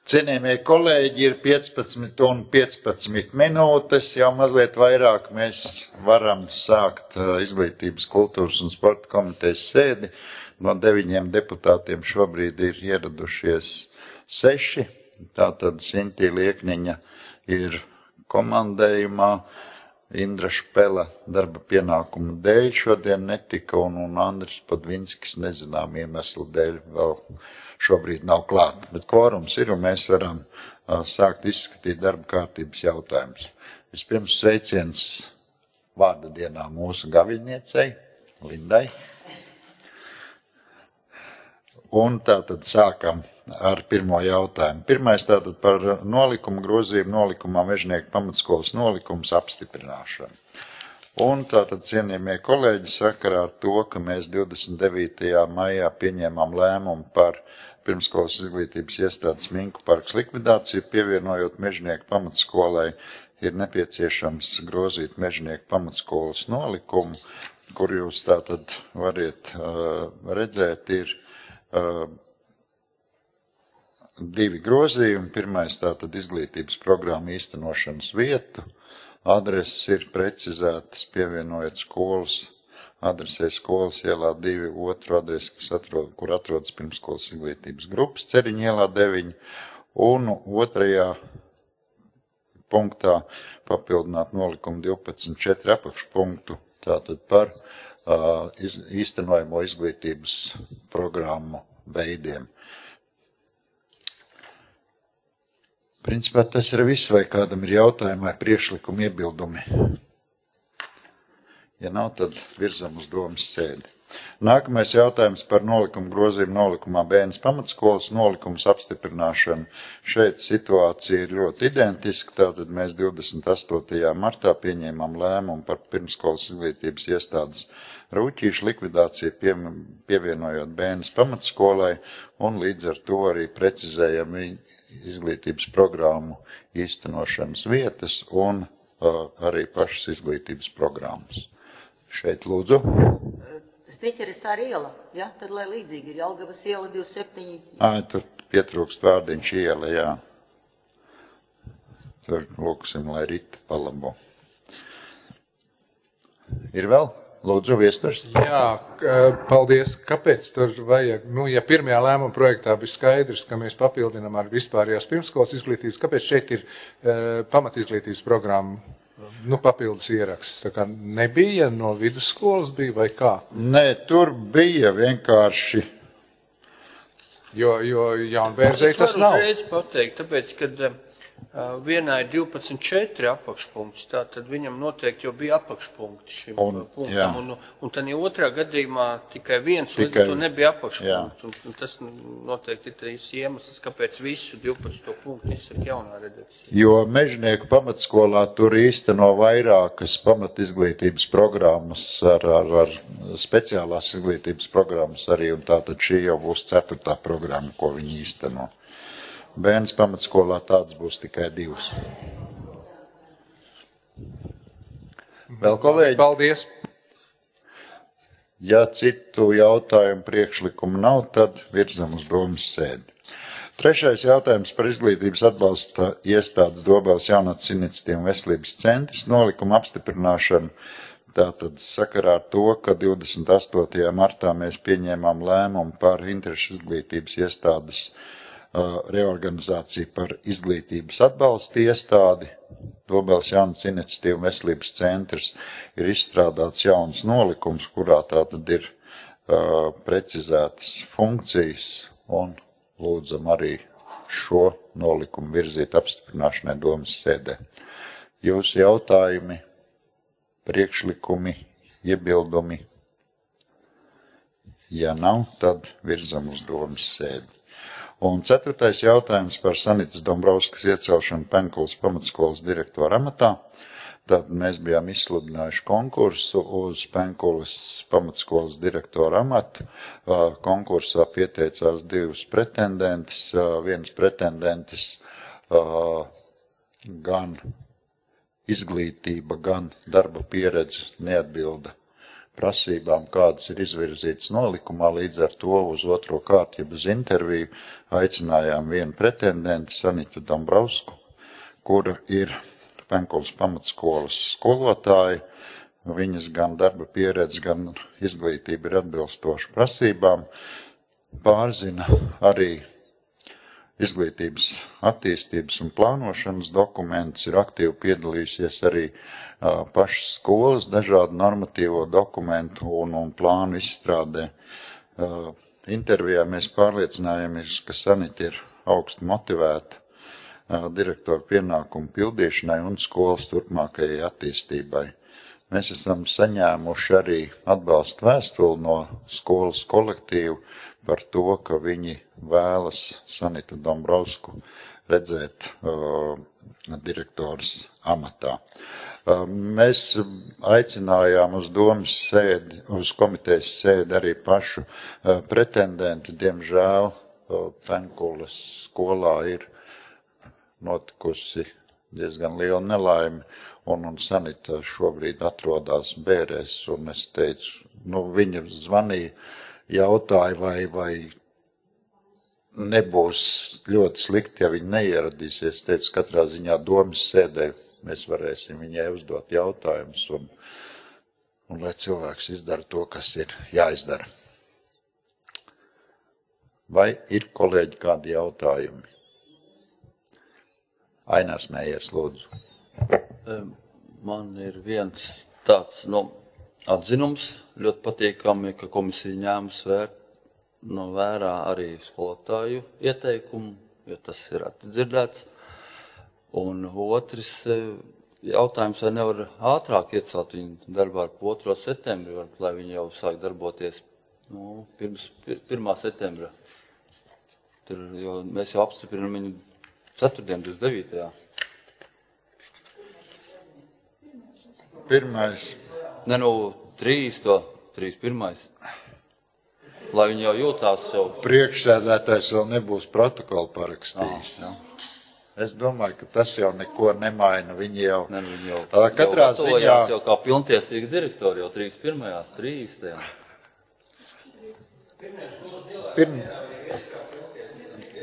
Cienījamie kolēģi, ir 15 un 15 minūtes, jau mazliet vairāk mēs varam sākt Izglītības, kultūras un sporta komitejas sēdi. No 9 deputātiem šobrīd ir ieradušies 6, tātad Sintī Liekniņa ir komandējumā, Indra Špela darba pienākumu dēļ šodien netika un Andris Podvinskis nezinām iemeslu dēļ vēl šobrīd nav klāt, bet kvorums ir un mēs varam sākt izskatīt darba kārtības jautājumus. Vispirms sveiciens vārda dienā mūsu gaviļniecei, Lindai. Un tātad sākam ar pirmo jautājumu. Pirmais tātad par nolikumu grozījumu nolikumā Mežnieku pamatskolas nolikums apstiprināšanu. Un tātad, cienījamie kolēģi, sakarā ar to, ka mēs 29. maijā pieņēmām lēmumu par pirmskolas izglītības iestādes Minku parks likvidāciju, pievienojot Mežnieku pamatskolai, ir nepieciešams grozīt Mežnieku pamatskolas nolikumu, kur jūs tātad variet redzēt, ir 2 grozījumi. Pirmais tātad izglītības programma īstenošanas vietu. Adreses ir precizētas, pievienojot skolas adresē skolas ielā 2, otru adresi, kur atrodas pirmskolas izglītības grupas Ceriņa ielā 9, un otrajā punktā papildināt nolikumu 12.4 apakšpunktu, tātad par īstenojamo izglītības programmu veidiem. Principā tas ir viss, vai kādam ir jautājumi vai priekšlikumi, iebildumi. Ja nav, tad virzam uz domas sēdi. Nākamais jautājums par nolikumu grozījumu nolikumā Bēnes pamatskolas nolikums apstiprināšanu. Šeit situācija ir ļoti identiska, tātad mēs 28. martā pieņēmām lēmumu par pirmskolas izglītības iestādes Rūķīšu likvidāciju, pievienojot Bēnes pamatskolai, un līdz ar to arī precizējam izglītības programmu īstenošanas vietas un arī pašas izglītības programmas. Šeit lūdzu. Sniķeris tā ir iela, ja? Tad, lai līdzīgi ir Jelgavas iela 27. Tur pietrūkst vārdiņš iela, jā. Tur lūksim, lai rita palabo. Ir vēl? Lūdzu, Viesturs. Jā, paldies. Kāpēc tur vajag? Ja pirmajā lēmuma projektā bija skaidrs, ka mēs papildinām ar vispārējās pirmskolas izglītības, kāpēc šeit ir pamatizglītības programma? Papildus ieraksts. Tā kā nebija no vidusskolas bija vai kā? Nē, tur bija vienkārši. Jo Jaunbērzei tas nav. Es varu uzreiz pateikt, tāpēc, kad vienā ir 12.4 apakšpunkts, tātad viņam noteikti jau bija apakšpunkti šim punktam, un tad otrā gadījumā tikai viens, līdz to nebija apakšpunkts, un tas noteikti ir tās iemesls, kāpēc visu 12. punktu izsaka jaunā redakcija. Jo Mežnieku pamatskolā tur īsteno vairākas pamatizglītības programmas ar speciālās izglītības programmas arī, un tātad šī jau būs 4. programma, ko viņi īsteno. Bēnes pamatskolā tāds būs tikai 2. Vēl kolēģi? Paldies. Ja citu jautājumu priekšlikumu nav, tad virzam uz domas sēdi. Trešais jautājums par izglītības atbalsta iestādes Dobeles jaunatnes iniciatīvu un veselības centrs nolikumu apstiprināšanu. Tātad sakarā ar to, ka 28. martā mēs pieņēmām lēmumu par interešu izglītības iestādes reorganizāciju par izglītības atbalsta iestādi. Dobeles jaunatnes iniciatīva un veselības centrs ir izstrādāts jauns nolikums, kurā tātad ir precizētas funkcijas, un lūdzam arī šo nolikumu virzīt apstiprināšanai domas sēdē. Jūsu jautājumi, priekšlikumi, iebildumi? Ja nav, tad virzam uz domas sēdi. Un 4. jautājums par Sanitas Dombrovskas iecelšanu Penkulas pamatskolas direktora amatā. Tad mēs bijām izsludinājuši konkursu uz Penkulas pamatskolas direktora amatu. Konkursā pieteicās 2 pretendentes. Viens pretendentes gan izglītība, gan darba pieredze neatbilda prasībām, kādas ir izvirzītas nolikumā, līdz ar to uz otro kārtu, jeb uz interviju, aicinājām vienu pretendenti, Sanitu Dombrovsku, kura ir Penkulas pamatskolas skolotāja. Viņas gan darba pieredze, gan izglītība ir atbilstoša prasībām. Pārzina arī izglītības attīstības un plānošanas dokumentus, ir aktīvi piedalījusies arī pašas skolas dažādu normatīvo dokumentu un plānu izstrādē. Intervijā mēs pārliecinājāmies, ka Sanita ir augsti motivēta direktoru pienākumu pildīšanai un skolas turpmākajai attīstībai. Mēs esam saņēmuši arī atbalstu vēstuli no skolas kolektīvu par to, ka viņi vēlas Sanitu Dombrovsku redzēt direktors amatā. Mēs aicinājām uz domas sēdi, uz komitejas sēdi arī pašu pretendenti. Diemžēl Penkulas skolā ir notikusi diezgan liela nelaime, un Sanita šobrīd atrodas Bērēs, un es teicu, viņa zvanīja, jautāja, vai nebūs ļoti slikti, ja viņa neieradīsies. Teicu, katrā ziņā domas sēdē mēs varēsim viņai uzdot jautājumus, un lai cilvēks izdara to, kas ir jāizdara. Vai ir, kolēģi, kādi jautājumi? Ainārs Mējers, lūdzu. Man ir viens tāds atzinums, ļoti patīkami, ka komisija ņēmas vērā arī skolotāju ieteikumu, jo tas ir dzirdēts. Un otrs jautājums, vai nevar ātrāk iecelt viņu darbā ar 2. septembri, lai viņi jau sāk darboties pirms 1. septembra. Jo mēs jau apstiprinām viņu 4. 29. Pirmais. 3.1. Lai viņi jau jūtās jau. Priekšsēdētājs vēl nebūs protokolu parakstījis. Es domāju, ka tas jau neko nemaina. Viņi jau katrā ziņā jau kā pilntiesīgi direktori jau 3.1.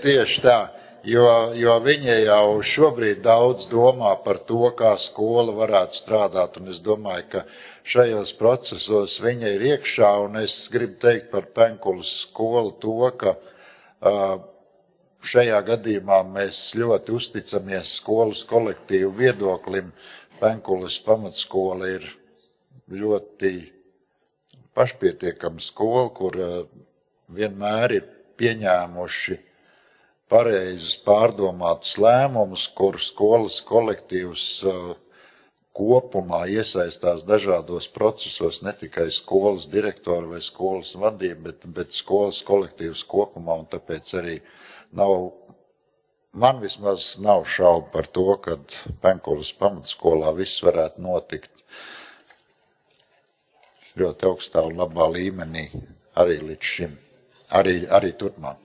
Tieši tā. Jo viņa jau šobrīd daudz domā par to, kā skola varētu strādāt, un es domāju, ka šajos procesos viņa ir iekšā, un es gribu teikt par Penkulas skolu to, ka šajā gadījumā mēs ļoti uzticamies skolas kolektīvu viedoklim. Penkulas pamatskola ir ļoti pašpietiekama skola, kur vienmēr ir pieņēmuši pareizus pārdomātus lēmumus, kur skolas kolektīvs kopumā iesaistās dažādos procesos, ne tikai skolas direktori vai skolas vadība, bet skolas kolektīvs kopumā, un tāpēc arī man vismaz nav šaubu par to, ka Penkulas pamatskolā viss varētu notikt ļoti augstā un labā līmenī arī līdz šim, arī turpmāk.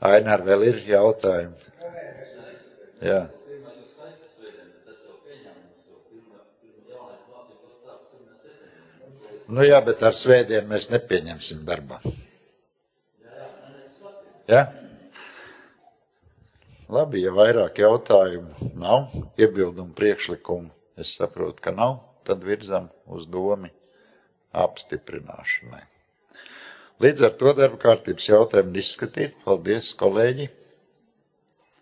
Ainār, vēl ir jautājumi? Jā. Jā, bet ar svētdienu mēs nepieņemsim darbā. Jā? Labi, ja vairāk jautājumu nav, iebildumu priekšlikumu, es saprotu, ka nav, tad virzam uz domi apstiprināšanai. Līdz ar to darba kārtības jautājumu izskatīt. Paldies, kolēģi!